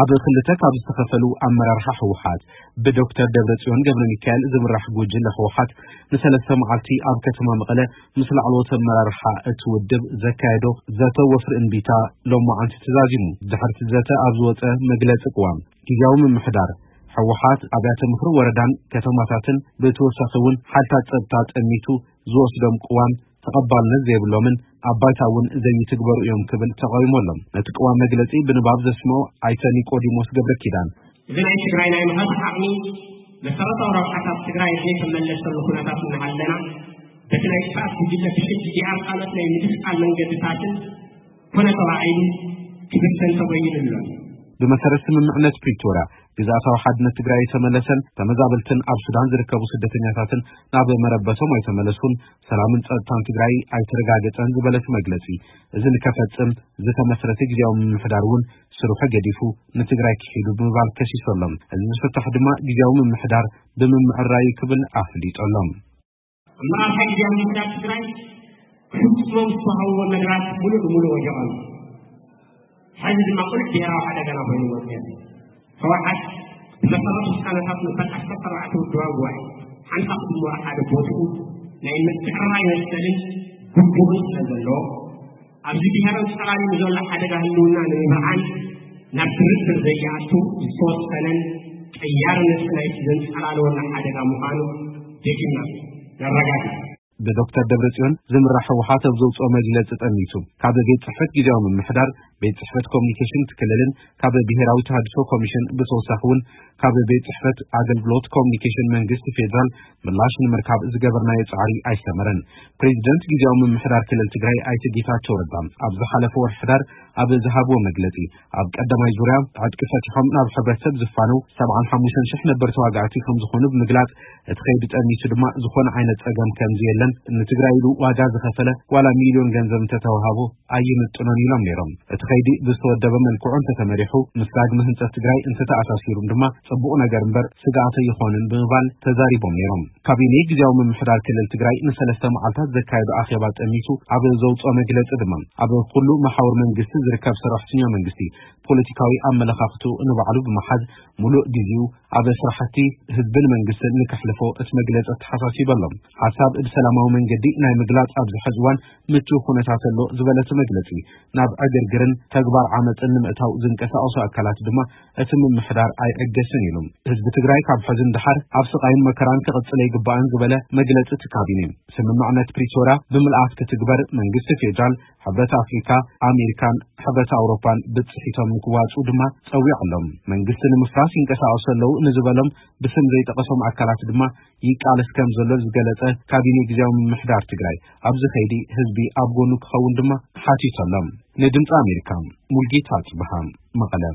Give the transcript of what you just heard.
ኣብ ክልተ ካብ ዝተኸፈሉ ኣመራርሓ ህወሓት ብዶክተር ደብረጽዮን ገብረ ሚካኤል ዝምራሕ ጉጅለ ህወሓት ንሰለስተ መዓልቲ ኣብ ከተማ መቐለ ምስ ላዕለዎት ኣመራርሓ እቲ ውድብ ዘካየዶ ዘተ ወፍሪ እምቢታ ሎማዓንቲ ተዛዚሙ። ድሕርቲ ዘተ ኣብ ዝወፀ መግለፂ ቅዋም፣ ግዝያዊ ምምሕዳር ህወሓት ኣብያተ ምኽሪ ወረዳን ከተማታትን ብተወሳኺ እውን ሓይልታት ጸጥታ ጠሚቱ ዝወስዶም ቅዋም ተቐባልነት ዘይብሎምን ኣብ ባይታ እውን ዘይትግበሩ እዮም ክብል ተቃዊሞሎም። ነቲ ቅዋም መግለጺ ብንባብ ዘስምዑ ኣይተ ኒቆዲሞስ ገብረ ኪዳን፣ እዚ ናይ ትግራይ ናይ ምሃብ ዓቕሚ መሰረታዊ ረብሓታት ትግራይ ዘይተመለሰሉ ኩነታት እናሃለና፣ በቲ ናይ ጥፍኣት ጉጅለ ብሕጂ ዲኣር ካልኦት ናይ ምድስቃል መንገድታትን ኮነ ተባዒሉ ክብተን ተበይኑ ኣሎ። ብመሰረት ስምምዕነት ፕሪቶርያ፣ ግዝኣታዊ ሓድነት ትግራይ የተመለሰን ተመዛበልትን ኣብ ሱዳን ዝርከቡ ስደተኛታትን ናብ መረበቶም ኣይተመለሱን፣ ሰላምን ጸጥታን ትግራይ ኣይተረጋገጸን ዝበለ እቲ መግለጺ፣ እዚ ንከፈጽም ዝተመስረተ ግዝያዊ ምምሕዳር እውን ስርሑ ገዲፉ ንትግራይ ክሒዱ ብምባል ከሲሶሎም። እዚ ዝፍታሕ ድማ ግዝያዊ ምምሕዳር ብምምዕራይ ክብል ኣፍሊጦሎም። ኣመራርሓ ግዝያዊ ምምሕዳር ትግራይ ክፍጽሞም ዝተዋህቦ መደባት ሙሉእ ብሙሉእ ወዲቖም። ሕዚ ድማ ቁሉዕ ብሄራዊ ሓደጋና ኮይኑ ወፂኦም። ህወሓት ብመሰረት ውሳነታት መበል ዓሰርተ ኣርባዕተ ውድባዊ ጉባኤ ሓምሳ ክድመሩ ሓደ ቦትኡ ናይ ምትዕርራይ መሰልን ግቡእን ስለ ዘለዎ፣ ኣብዚ ብሄራዊ ጸላሊሉ ዘሎ ሓደጋ ህልውና ንምብርዓን ናብ ድርድር ዘይኣቱ ዝተወሰነን ቀያሪ ነጥቢ ናይቲ ዘንጸላለወና ሓደጋ ምዃኑ ደጊምና ነረጋግጽ። ብዶክተር ደብረጽዮን ዝምራሕ ህወሓት ኣብ ዘውፅኦ መግለፂ ጠሚቱ፣ ካብ ቤት ጽሕፈት ግዝያዊ ምምሕዳር፣ ቤት ጽሕፈት ኮሚኒኬሽን እቲ ክልልን ካብ ብሄራዊ ተሃድሶ ኮሚሽን ብተወሳኺ እውን ካብ ቤት ጽሕፈት ኣገልግሎት ኮሚኒኬሽን መንግስቲ ፌዴራል ምላሽ ንምርካብ ዝገበርናዮ ጻዕሪ ኣይሰመረን። ፕሬዚደንት ግዝያዊ ምምሕዳር ክልል ትግራይ ኣይተ ጌታቸው ረዳ ኣብ ዝሓለፈ ወርሒ ሕዳር ኣብ ዝሃብዎ መግለጺ፣ ኣብ ቀዳማይ ዙርያ ዕጥቂ ፈቲሖም ናብ ሕብረተሰብ ዝፋነው ሰብዓን ሓሙሽተን ሽሕ ነበር ተዋጋእቲ ከም ዝኾኑ ብምግላጽ፣ እቲ ከይዲ ጠሚቱ ድማ ዝኾነ ዓይነት ጸገም ከም ዘየለን፣ ንትግራይ ኢሉ ዋጋ ዝኸፈለ ዋላ ሚልዮን ገንዘብ እንተተዋሃቦ ኣይምጥኖን ኢሎም ነይሮም። እቲ ከይዲ ብዝተወደበ መልክዑ እንተተመሪሑ፣ ምስ ዳግመ ህንጸት ትግራይ እንተተኣሳሲሩን ድማ ጽቡቕ ነገር እምበር ስግኣት ኣይኾንን ብምባል ተዛሪቦም ነይሮም። ካቢኔ ግዝያዊ ምምሕዳር ክልል ትግራይ ንሰለስተ መዓልታት ዘካየዶ ኣኼባ ጠሚቱ ኣብ ዘውፅኦ መግለፂ ድማ፣ ኣብ ኩሉ መሓውር መንግስቲ ዝርከብ ሰራሕተኛ መንግስቲ ፖለቲካዊ ኣመለኻኽትኡ ንባዕሉ ብምሓዝ፣ ሙሉእ ግዜኡ ኣብ ስራሕቲ ህዝብን መንግስትን ንከሕልፎ እቲ መግለፂ ኣተሓሳሲቡ ኣሎ። ሓሳብ ብሰላማዊ መንገዲ ናይ ምግላፅ ኣብዚ ሕዚ እዋን ምቹው ኩነታት ኣሎ ዝበለ እቲ መግለፂ፣ ናብ ዕግርግርን ተግባር ዓመፅን ንምእታው ዝንቀሳቐሱ ኣካላት ድማ እቲ ምምሕዳር ኣይዕገስን ኢሉ። ህዝቢ ትግራይ ካብ ሕዚ ንደሓር ኣብ ስቓይን መከራን ክቕፅል ኣይግባእን ዝበለ መግለፂ እቲ ካቢኔ፣ ስምምዕነት ፕሪቶርያ ብምልኣት ክትግበር መንግስቲ ፌዴራል፣ ሕብረት ኣፍሪካ፣ ኣሜሪካን ሕብረት ኣውሮፓን ብፅሒቶም ንክዋፅኡ ድማ ፀዊዑ ኣሎ። መንግስቲ ንምፍራስ ይንቀሳቐሱ ኣለዉ ንዝበሎም ብስም ዘይጠቐሶም ኣካላት ድማ ይቃለስ ከም ዘሎ ዝገለጸ ካቢኔ ግዝያዊ ምምሕዳር ትግራይ፣ ኣብዚ ከይዲ ህዝቢ ኣብ ጎኑ ክኸውን ድማ ሓቲቱ ኣሎ። ንድምፂ ኣሜሪካ፣ ሙልጌታ ኣጽብሃ፣ መቐለ።